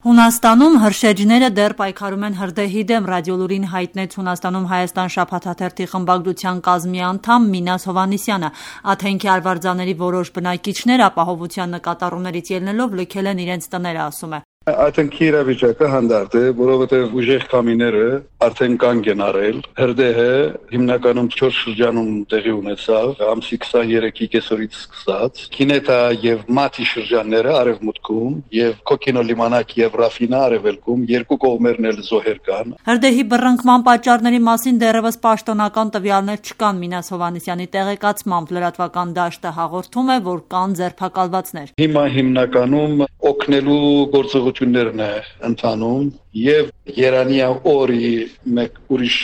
Հունաստանում հրշեջները դեռ պայքարում են հրդեհի դեմ, Ռադիոլուրին հայտնեց Հունաստանում Հայաստան շաբաթաթերթի խմբագրության կազմի անդամ Մինաս Հովհաննիսյանը։ Աթենքի արվարձաների որոշ բնակիչներ ապահովության նկատառումներից ելնելով լքել են իրենց տները, ասում է։ Աթենքի իրավիճակը հանդարտ է, որովհետև ուժեղ կամիները արդեն կանգ են առել։ Հրդեհը հիմնականում 4 շրջանում տեղի ունեցավ, ամսի 23-ի կեսօրից սկսած։ Քինետա եւ Մաթի շրջանները արևմուտքում եւ Կոկինո լիմանակ եւ Ռաֆինա արևելքում երկու կողմերն էլ զոհեր կան։ Հրդեհի բռնկման պատճառների մասին դեռևս պաշտոնական տվյալներ չկան։ Մինաս Հովհաննիսյանի տեղեկացմամբ լրատվական դաշտը հաղորդում է, որ կան ձերբակալվածներ։ Հիմա հիմնականում օգնելու գործողություններն է ընթանում եւ Երանիա օրի մեկ ուրիշ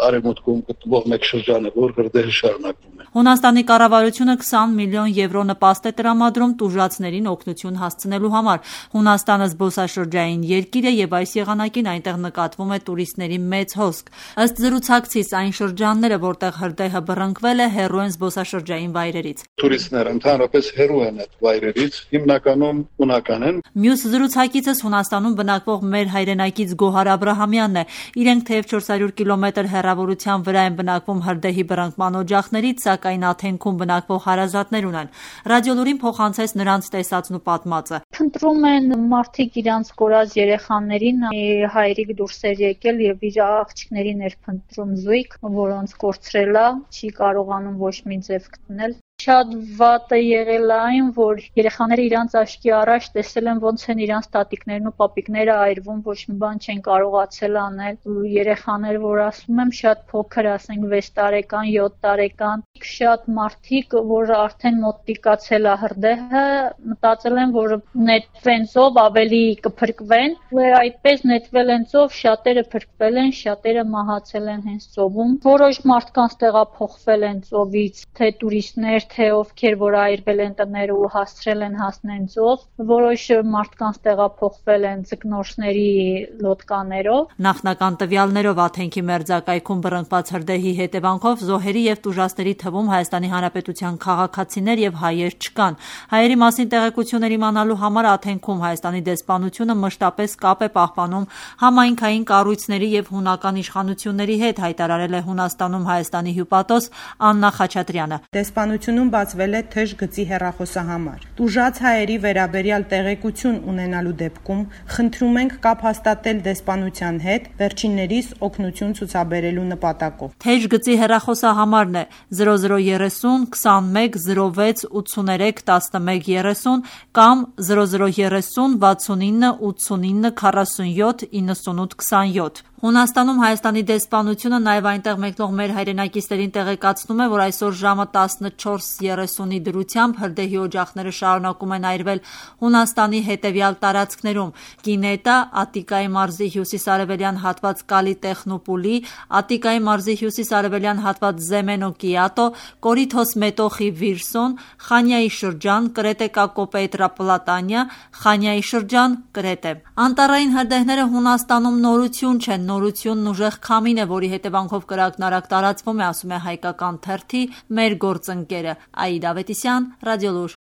արևմուտքում գտնվող մեկ շրջանը, որ հրդեհը շարունակվում է։ Հունաստանի կառավարությունը 20 միլիոն եվրո նպաստ է տրամադրում տուժածներին օգնություն հասցնելու համար։ Հունաստանը զբոսաշրջային երկիր է եւ այս եղանակին այնտեղ նկատվում է տուրիստների մեծ հոսք։ Ըստ զրուցակցից այն շրջանները, որտեղ հրդեհը բռնկվել է, հեռու են զբոսաշրջային վայրերից։ Տուրիստները ընդհանրապես հեռու են այդ վայրերից, հիմնականում հունական են։ Մյուս զրուցակիցս Հունաստանում բնակվող մեր հայրենակից Գոհար Աբրահամյանն է։ Իրենք թեև 400 կիլոմետր հեռավորության վրա են բնակվում հրդեհի բռնկման օջախներից, սակայն Աթենքում բնակվող հարազատներ ունեն։ Ռադիոլուրին փոխանցեց նրանց տեսածն ու պատմածը։ Փնտրում են մարդիկ իրանց կորած երեխաներին, հայրիկ դուրս էր եկել եւ իր աղջիկներին էր փնտրում զույգ, որոնց կորցրել է, չի կարողանում ոչ մի ձև գտնել։ Շատ վատ է եղել այն, որ երեխաները իրանց աչքի առաջ տեսել են ոնց են իրանց տատիկներն ու պապիկները այրվում, ոչ մի բան չեն կարողացել անել։ Երեխաներ, որ ասում եմ, շատ փոքր, ասենք 6 տարեկան, 7 տարեկան, շատ մարդիկ, որ արդեն մոտիկացել է հրդեհը, մտածել են, որ նետվենցով ավելի կփրկվեն, ու այդպես նետվել են ծով, շատերը փրկվել են, շատերը մահացել են հենց ծովում։ Որոշ մարդկանց տեղափոխվել են ծովից, թե տուրիստներ, թե ովքեր որ այրվել են տները ու հասցրել են հասնեն ծով, որոշ մարդկանց տեղափոխվել են ձկնորսների լոդկաներով։ Նախնական տվյալներով Աթենքի մերձակայքում բռնկված հրդեհի հետևանքով զոհերի եւ տուժածների թվում Հայաստանի Հանրապետության քաղաքացիներ եւ հայեր չկան։ Հայերի մասին տեղեկություններ իմանալու համար Աթենքում Հայաստանի դեսպանությունը մշտապես կապ է պահպանում համայնքային կառույցների եւ հունական իշխանությունների հետ, հայտարարել է Հունաստանում Հայաստանի հյուպատոս Աննա Խաչատրյանը։ Դեսպանությունում բացվել է թեժ գծի հեռախոսահամար։ Տուժած հայերի վերաբերյալ տեղեկություն ունենալու դեպքում խնդրում ենք կապ հաստատել դեսպանության հետ վերջիններիս օգնություն ցուցաբերելու նպատակով։ Թեժ գծի հեռախոսահամարն է 0030 21 06 83 11 30 կամ 0030 69 89 47 98 27։ Հունաստանում Հայաստանի դեսպանությունը նաև այնտեղ մեկնող մեր հայրենակիցներին տեղեկացնում է, որ այսօր ժամը 14:30-ի դրությամբ հրդեհի օջախները շարունակում են այրվել Հունաստանի հետևյալ տարածքներում՝ Կինետա, Ատիկայի մարզի հյուսիս-արևելյան հատված Կալի Տեխնոպոլի, Ատիկայի մարզի հյուսիս-արևելյան հատված Զեմենո Կիատո, Կորիթոս Մետոխի Վիրսոն, Խանյայի շրջան, Կրետե Կակոպետրա Պլատանիա, Խանյայի շրջան, Կրետե։ Անտառային հրդեհները Հունաստանում նորություն չեն, նորությունն ուժեղ քամին է, որի հետևանքով կրակնարակ տարածվում է, ասում է հայկական թերթի մեր գործընկերը Աիդա Ավետիսյան, Ռադիոլուր։